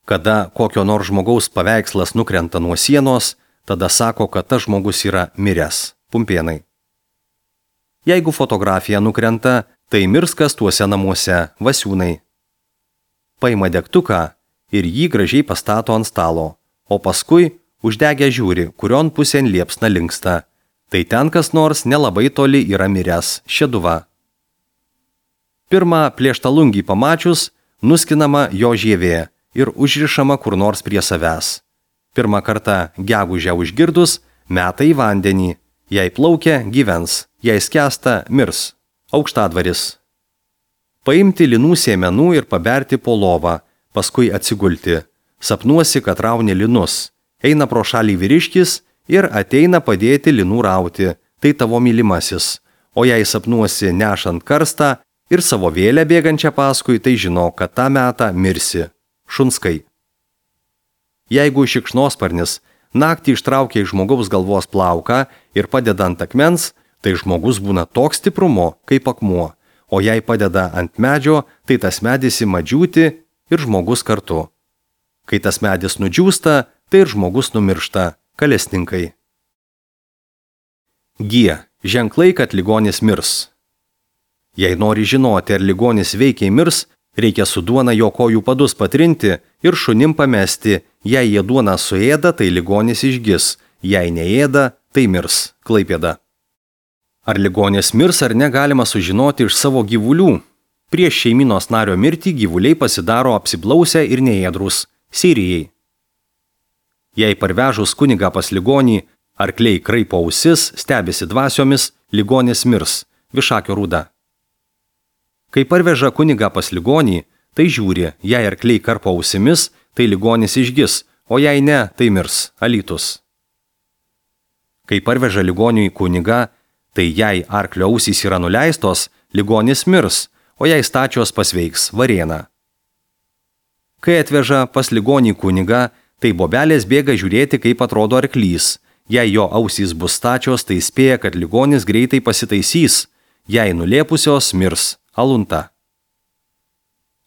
Kada kokio nors žmogaus paveikslas nukrenta nuo sienos, tada sako, kad tas žmogus yra miręs, pumpėnai. Jeigu fotografija nukrenta, tai mirs kas tuose namuose, vasiūnai. Paima degtuką ir jį gražiai pastato ant stalo, o paskui uždegę žiūri, kurion pusėn liepsna linksta. Tai ten kas nors nelabai toli yra miręs, šeduva. Pirmą plėštalungį pamačius, nuskinama jo žievė ir užrišama kur nors prie savęs. Pirmą kartą gegužę užgirdus, meta į vandenį. Jei plaukia, gyvens, jei skęsta, mirs. Aukštadvaris. Paimti linų sėmenų ir paberti po lovą, paskui atsigulti. Sapnuosi, kad rauni linus. Eina pro šalį vyriškis ir ateina padėti linų rauti, tai tavo mylimasis. O jei sapnuosi nešant karstą ir savo vėlę bėgančią paskui, tai žino, kad tą metą mirsi. Šunskai. Jeigu šikšnosparnis naktį ištraukia iš žmogaus galvos plauką ir padeda ant akmens, tai žmogus būna toks stiprumo, kaip akmuo. O jei padeda ant medžio, tai tas medis ima džiūti ir žmogus kartu. Kai tas medis nudžiūsta, tai ir žmogus numiršta, kalesninkai. G. Ženklai, kad ligonis mirs. Jei nori žinoti, ar ligonis veikiai mirs, reikia su duona jo kojų padus patrinti ir šunim pamesti. Jei jie duoną suėda, tai ligonis išgis, jei neėda, tai mirs. Klaipėda. Ar ligonis mirs ar negalima sužinoti iš savo gyvulių? Prieš šeimynos nario mirtį gyvuliai pasidaro apsiblausę ir neėdrus. Sirijai. Jei parvežus kunigą pas ligonį, arkliai kraipo ausis, stebisi dvasiomis, ligonis mirs. Višakio rūda. Kai parveža kunigą pas ligonį, tai žiūri, jei arkliai karpo ausimis, tai ligonis išgis, o jei ne, tai mirs. Alytus. Kai parveža ligoniui kunigą, tai jei arklio ausys yra nuleistos, ligonis mirs, o jei stačios pasveiks. Varėna. Kai atveža pas ligonį kunigą, tai bobelės bėga žiūrėti, kaip atrodo arklys. Jei jo ausys bus stačios, tai spėja, kad ligonis greitai pasitaisys. Jei nulėpusios, mirs. Alunta.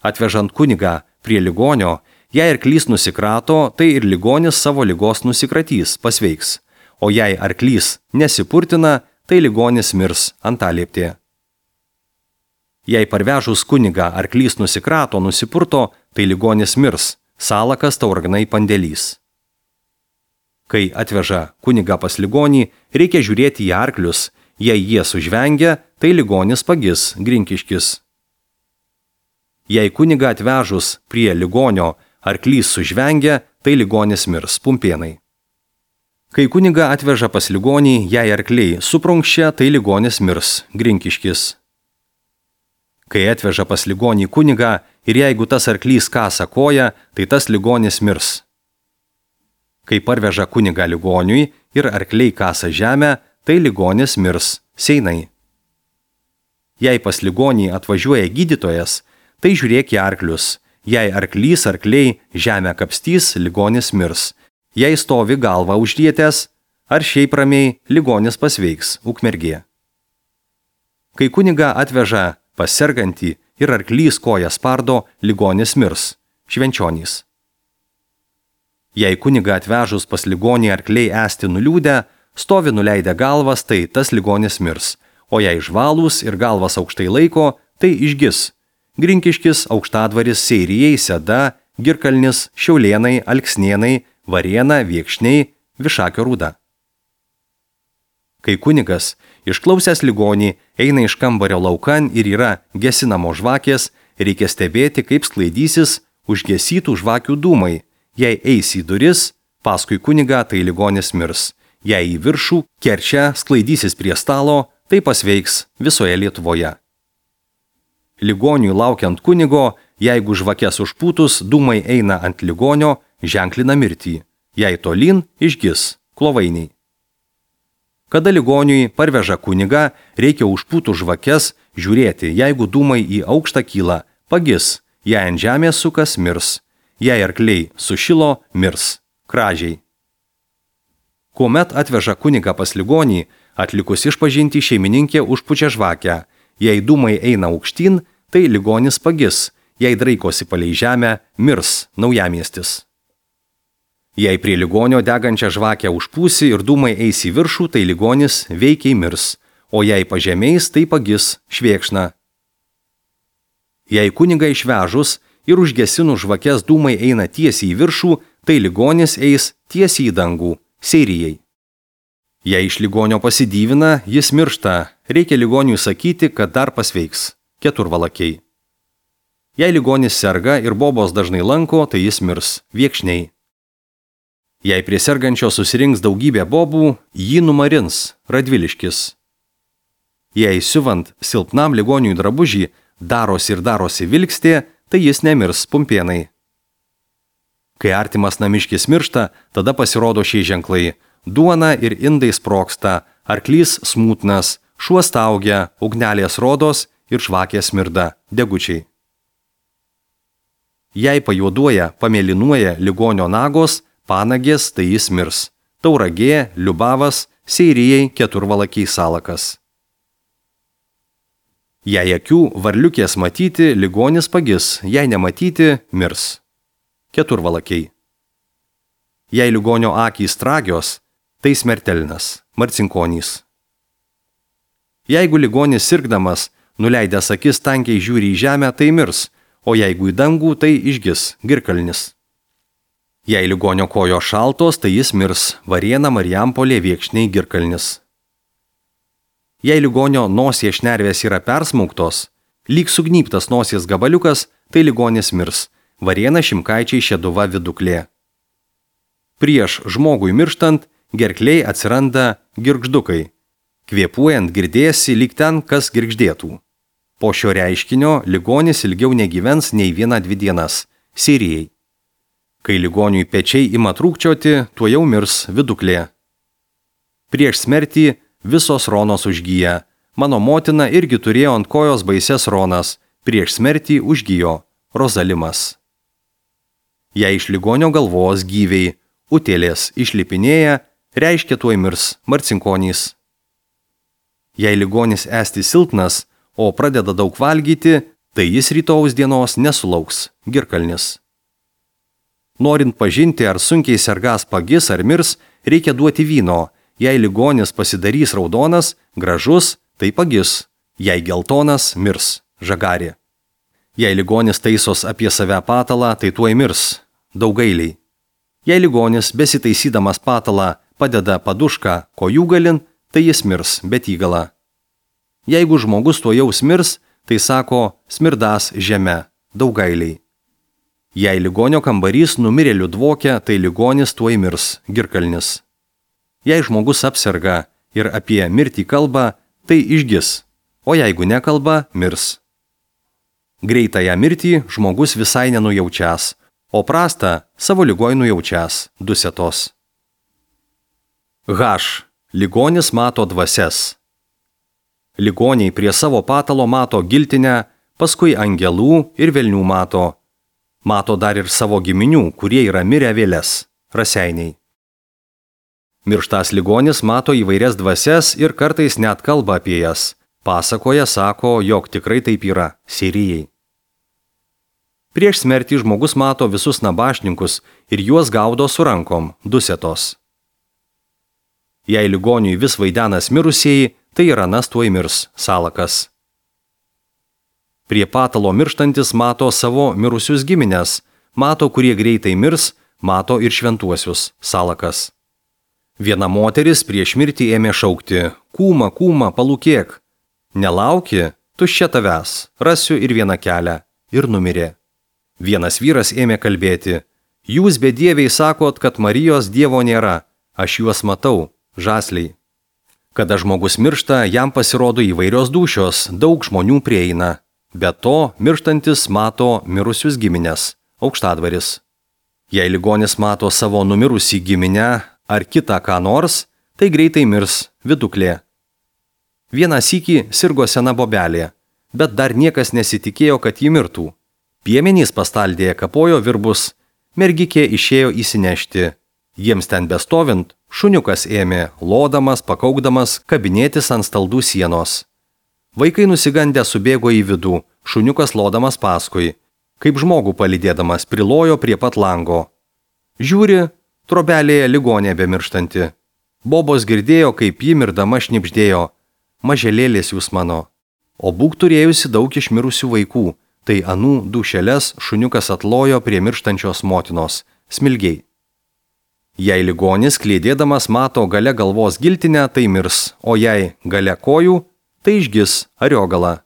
Atvežant kunigą prie ligonio, jei arklys nusikrato, tai ir ligonis savo ligos nusikratys, pasveiks. O jei arklys nesipurtina, tai ligonis mirs. Antalieptė. Jei parvežus kunigą arklys nusikrato, nusipurto, tai ligonis mirs. Salakas, Tauragnai, Pandėlys. Kai atveža kunigą pas ligonį, reikia žiūrėti į arklius. Jei jie sužvengia, tai ligonis pagis. Grinkiškis. Jei kunigą atvežus prie ligonio arklys sužvengia, tai ligonis mirs. Pumpėnai. Kai kunigą atveža pas ligonį, jei arkliai suprunkščia, tai ligonis mirs. Grinkiškis. Kai atveža pas ligonį kunigą ir jeigu tas arklys kasa koją, tai tas ligonis mirs. Kai parveža kunigą ligoniui ir arkliai kasa žemę, tai ligonis mirs. Seinai. Jei pas ligonį atvažiuoja gydytojas, tai žiūrėk į arklius. Jei arklys arkliai žemę kapstys, ligonis mirs. Jei stovi galvą užrietęs, ar šiaip ramiai, ligonis pasveiks. Ukmergė. Kai kunigą atveža pas sergantį ir arklys koją spardo, ligonis mirs. Švenčionys. Jei kunigą atvežus pas ligonį arkliai esti nuliūdę, Stovi nuleidę galvas, tai tas ligonis mirs, o jei žvalūs ir galvas aukštai laiko, tai išgis. Grinkiškis, Aukštadvaris, Seirijai, Seda, Girkalnis, Šiaulėnai, Alksnėnai, Varėna, Viekšniai, Višakio Rūda. Kai kunigas, išklausęs ligonį, eina iš kambario laukan ir yra gesinamo žvakės, reikia stebėti, kaip sklaidysis užgesytų žvakių dūmai. Jei eis į duris, paskui kunigą, tai ligonis mirs. Jei į viršų, kerčia, sklaidysis prie stalo, tai pasveiks visoje Lietuvoje. Ligoniui laukiant kunigo, jeigu žvakės užpūtus, dūmai eina ant ligonio, ženklina mirtį. Jei tolyn, išgis, klovainiai. Kada ligoniui parveža kunigą, reikia užpūtų žvakės žiūrėti, jeigu dūmai į aukštą kyla, pagis, jei ant žemės sukas, mirs. Jei arkliai sušilo, mirs. Kražiai. Kuomet atveža kunigą pas ligonį, atlikus išpažintį šeimininkė užpučia žvakę. Jei dūmai eina aukštyn, tai ligonis pagis, jei draikosi palei žemę, mirs naujamiestis. Jei prie ligonio degančią žvakę užpūsi ir dūmai eis į viršų, tai ligonis veikiai mirs, o jei pažemės, tai pagis švėkšna. Jei kunigą išvežus ir užgesinus žvakės dūmai eina tiesiai į viršų, tai ligonis eis tiesiai į dangų, Seirijai. Jei iš ligonio pasidyvina, jis miršta, reikia ligoniui sakyti, kad dar pasveiks, keturvalakiai. Jei ligonis serga ir bobos dažnai lanko, tai jis mirs, Viekšniai. Jei prie sergančio susirinks daugybė bobų, jį numarins, Radviliškis. Jei siuvant silpnam ligoniui drabužį darosi ir darosi vilkstė, tai jis nemirs, Pumpėnai. Kai artimas namiškis miršta, tada pasirodo šie ženklai. Duona ir indai sproksta, arklys smūtnas, šuo staugia, ugnelės rodos ir žvakės smirda, degučiai. Jei pajuoduoja, pamėlynuoja ligonio nagos, panagės, tai jis mirs. Tauragė, Liubavas, Seirijai, keturvalakiai Salakas. Jei akių varliukės matyti, ligonis pagis, jei nematyti, mirs. Keturvalakiai. Jei ligonio akys tragios, tai smertelnas, Marcinkonys. Jeigu ligonis sirgdamas, nuleidęs akis tankiai žiūri į žemę, tai mirs, o jeigu į dangų, tai išgis, Girkalnis. Jei ligonio kojo šaltos, tai jis mirs, Varėna, Marijampolė, Viekšniai, Girkalnis. Jei ligonio nosies šnervės yra persmauktos, lyg sugnyptas nosies gabaliukas, tai ligonis mirs, Varėna, Šimkaičiai, Šeduva, Viduklė. Prieš žmogui mirštant, gerkliai atsiranda girgždukai. Kvėpuojant girdėsi lyg ten, kas girgždėtų. Po šio reiškinio ligonis ilgiau negyvens nei vieną dvi dienas, Seirijai. Kai ligoniui pečiai ima trūkčioti, tuo jau mirs, Viduklė. Prieš smertį visos ronos užgyja. Mano motina irgi turėjo ant kojos baises ronas, prieš smertį užgyjo, Rozalimas. Jei iš ligonio galvos gyviai utėlės išlipinėja, reiškia tuoj mirs, Marcinkonys. Jei ligonis esti silpnas, o pradeda daug valgyti, tai jis rytojaus dienos nesulauks, Girkalnis. Norint pažinti, ar sunkiai sergas pagis ar mirs, reikia duoti vyno. Jei ligonis pasidarys raudonas, gražus, tai pagis. Jei geltonas, mirs, Žagarė. Jei ligonis taisos apie save patalą, tai tuoj mirs, Daugailiai. Jei ligonis besitaisydamas patalą padeda padušką kojų galin, tai jis mirs, Betygala. Jeigu žmogus tuojaus mirs, tai sako smirdas žeme, Daugailiai. Jei ligonio kambarys numirėlių dvokia, tai ligonis tuoj mirs, Girkalnis. Jei žmogus apserga ir apie mirtį kalba, tai išgis, o jeigu nekalba, mirs. Greitąją mirtį žmogus visai nenujaučias, o prastą savo ligoj nujaučias, Dusetos. H. Ligonis mato dvasias. Ligoniai prie savo patalo mato giltinę, paskui angelų ir velnių mato. Mato dar ir savo giminių, kurie yra mirę vėles, Raseiniai. Mirštas ligonis mato įvairias dvasias ir kartais net kalba apie jas. Pasakoja, sako, jog tikrai taip yra, Seirijai. Prieš smertį žmogus mato visus nabašninkus ir juos gaudo su rankom, Dusetos. Jei ligoniui vis vaidenas mirusieji, tai ir anas tuoj mirs, salakas. Prie patalo mirštantis mato savo mirusius giminės, mato, kurie greitai mirs, mato ir šventuosius, salakas. Viena moteris prieš mirtį ėmė šaukti, kūma, kūma, palūkėk. Nelauki, tuščia tavęs, rasiu ir vieną kelią, ir numirė. Vienas vyras ėmė kalbėti, jūs bedieviai sakot, kad Marijos Dievo nėra, aš juos matau, žasliai. Kada žmogus miršta, jam pasirodo įvairios dūšios, daug žmonių prieina. Be to, mirštantis mato mirusius giminės, aukštadvaris. Jei ligonis mato savo numirusį giminę ar kitą ką nors, tai greitai mirs, viduklė. Vieną sykį sirgo sena bobelė, bet dar niekas nesitikėjo, kad ji mirtų. Piemenys pastaldėje kapojo virbus, mergikė išėjo įsinešti. Jiems ten bestovint, šuniukas ėmė, lodamas, pakaukdamas, kabinėtis ant staldų sienos. Vaikai nusigandę subėgo į vidų, šuniukas lodamas paskui, kaip žmogų palydėdamas prilojo prie pat lango. Žiūri, trobelėje ligonė bemirštanti. Bobos girdėjo, kaip ji mirdama šnibždėjo, maželėlės jūs mano. O būk turėjusi daug išmirusių vaikų, tai anų dušeles šuniukas atlojo prie mirštančios motinos, smilgiai. Jei ligonis klėdėdamas mato gale galvos giltinę, tai mirs, o jei gale kojų, tai išgis ariogala.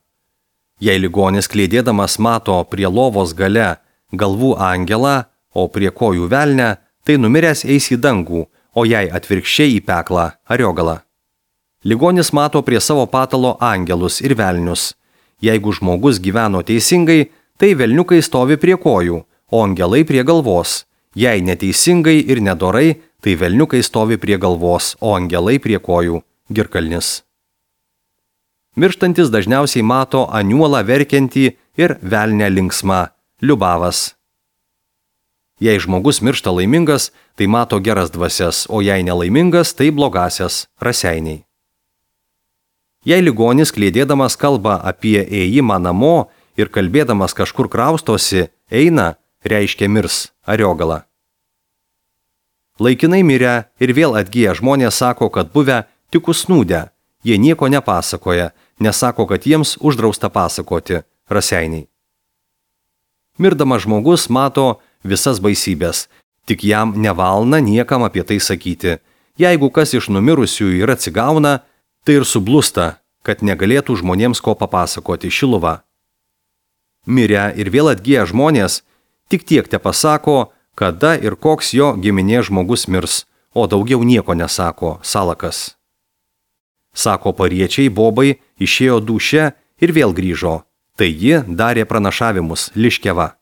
Jei ligonis klėdėdamas mato prie lovos gale galvų angelą, o prie kojų velnę, tai numiręs eis į dangų, o jei atvirkščiai į peklą ariogala. Ligonis mato prie savo patalo angelus ir velnius. Jeigu žmogus gyveno teisingai, tai velniukai stovi prie kojų, o angelai prie galvos. Jei neteisingai ir nedorai, tai velniukai stovi prie galvos, o angelai prie kojų, girkalnis. Mirštantis dažniausiai mato aniuolą verkiantį ir velnę linksmą, liubavas. Jei žmogus miršta laimingas, tai mato geras dvasias, o jei nelaimingas, tai blogasias, raseiniai. Jei ligonis klėdėdamas kalba apie ėjimą namo ir kalbėdamas kažkur kraustosi, eina, reiškia mirs, ariogala. Laikinai mirę ir vėl atgyję žmonės sako, kad buvę tik užsnūdę, jie nieko nepasakoja, nesako, kad jiems uždrausta pasakoti, raseiniai. Mirdamas žmogus mato visas baisybės, tik jam nevalna niekam apie tai sakyti. Jeigu kas iš numirusiųjų ir atsigauna, tai ir sublusta, kad negalėtų žmonėms ko papasakoti, šiluva. Mirę ir vėl atgyję žmonės tik tiek te pasako, kada ir koks jo giminė žmogus mirs, o daugiau nieko nesako, salakas. Sako pariečiai, bobai išėjo dūše ir vėl grįžo, tai ji darė pranašavimus, liškeva.